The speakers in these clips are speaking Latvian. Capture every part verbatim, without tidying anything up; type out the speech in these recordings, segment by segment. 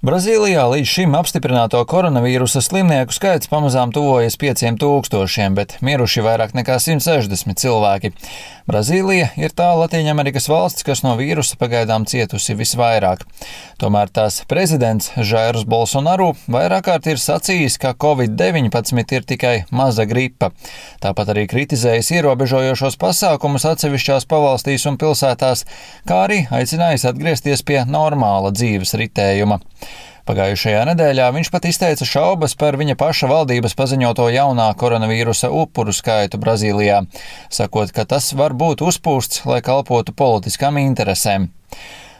Brazīlijā līdz šim apstiprināto koronavīrusa slimnieku skaits pamazām tuvojas pieciem tūkstošiem, bet miruši vairāk nekā simt sešdesmit cilvēki. Brazīlija ir tā Latīņamerikas valsts, kas no vīrusa pagaidām cietusi visvairāk. Tomēr tās prezidents Žairs Bolsonaru vairāk kārt ir sacījis, ka covid deviņpadsmit ir tikai maza gripa. Tāpat arī kritizējis ierobežojošos pasākumus atsevišķās pavalstīs un pilsētās, kā arī aicinājis atgriezties pie normāla dzīves ritējuma. Pagājušajā nedēļā viņš pat izteica šaubas par viņa paša valdības paziņoto jaunā koronavīrusa upuru skaitu Brazīlijā, sakot, ka tas var būt uzpūsts, lai kalpotu politiskām interesēm.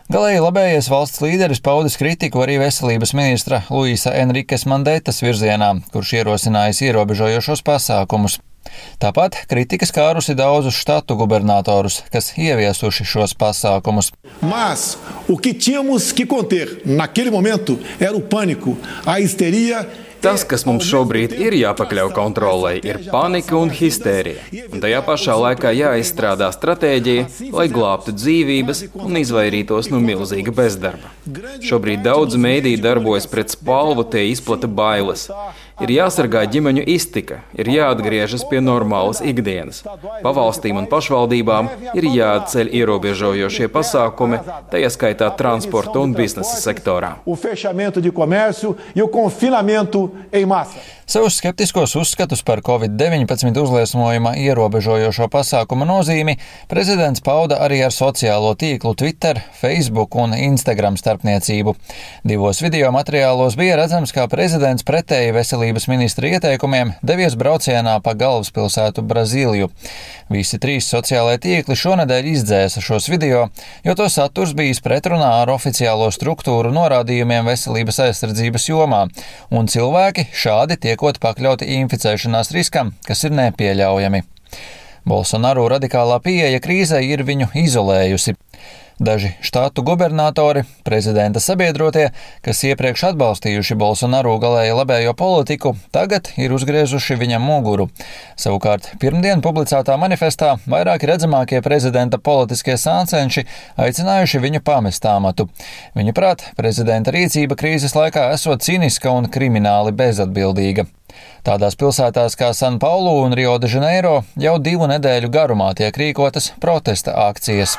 Galēji labējais valsts līderis paudis kritiku arī veselības ministra Luisa Enrikes Mandetas virzienā, kurš ierosinājis ierobežojošos pasākumus. Tāpat kritika skārusi daudzus štatu gubernatorus, kas ieviesuši šos pasākumus. Mas o que tínhamos que conter naquele momento era o pânico, a histeria. Tas, kas mums šobrīd ir jāpakļauj kontrolei, ir panika un histērija. Un tajā pašā laikā jāizstrādā stratēģija, lai glābtu dzīvības un izvairītos no milzīga bezdarba. Šobrīd daudz mēdīju darbojas pret spalvu, tie izplata bailes. Ir jāsargā ģimeņu iztika, ir jāatgriežas pie normālas ikdienas. Pavalstīm un pašvaldībām ir jāatceļ ierobežojošie pasākumi, tajā skaitā transporta un biznesa sektorā. Savus skeptiskos uzskatus par covid deviņpadsmit uzliesmojuma ierobežojošo pasākumu nozīmi prezidents pauda arī ar sociālo tīklu Twitter, Facebook un Instagram starpniecību. Divos video materiālos bija redzams, kā prezidents pretēji veselības ministra ieteikumiem devies braucienā pa galvaspilsētu Brazīliju. Visi trīs sociālai tīkli šonedēļ izdzēsa šos video, jo to saturs bijis pretrunā ar oficiālo struktūru norādījumiem veselības aizsardzības jomā, un cilvēki šādi tiekot pakļauti inficēšanās riskam, kas ir nepieļaujami. Bolsonaru radikālā pieeja krīzei ir viņu izolējusi. Daži štatu gubernatori, prezidenta sabiedrotie, kas iepriekš atbalstījuši Bolsonaru galēji labējo politiku, tagad ir uzgriezuši viņam muguru. Savukārt, pirmdien publicētā manifestā vairāki redzamākie prezidenta politiskie sāncenši aicinājuši viņu pamest amatu. Viņuprāt, prezidenta rīcība krīzes laikā esot cīniska un krimināli bezatbildīga. Tādās pilsētās kā San Paulu un Rio de Janeiro jau divu nedēļu garumā tiek rīkotas protesta akcijas.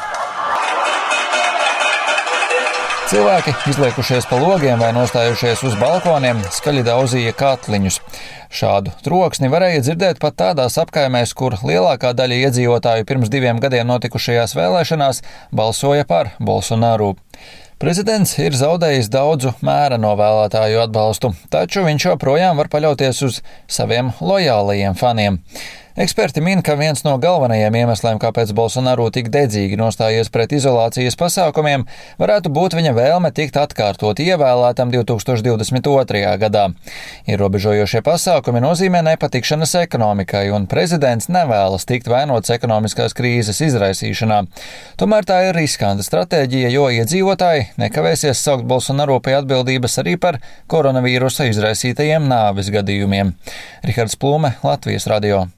Cilvēki, izliekušies pa logiem vai nostājušies uz balkoniem, skaļi daudzīja katliņus. Šādu troksni varēja dzirdēt pat tādās apkaimēs, kur lielākā daļa iedzīvotāju pirms diviem gadiem notikušajās vēlēšanās balsoja par Bolsonaru. Prezidents ir zaudējis daudzu mēreno vēlētāju atbalstu, taču viņš joprojām var paļauties uz saviem lojālajiem faniem. Eksperti min, ka viens no galvenajiem iemesliem, kāpēc Bolsonaru tik dedzīgi nostājies pret izolācijas pasākumiem, varētu būt viņa vēlme tikt atkārtot ievēlētam divi tūkstoši divdesmit otrajā gadā. Ierobežojošie pasākumi nozīmē nepatikšanas ekonomikai, un prezidents nevēlas tikt vainots ekonomiskās krīzes izraisīšanā. Tomēr tā ir riskanta stratēģija, jo iedzīvotāji nekavēsies saukt Bolsonaru pie atbildības arī par koronavīrusa izraisītajiem nāves gadījumiem. Rihards Plūme, Latvijas radio.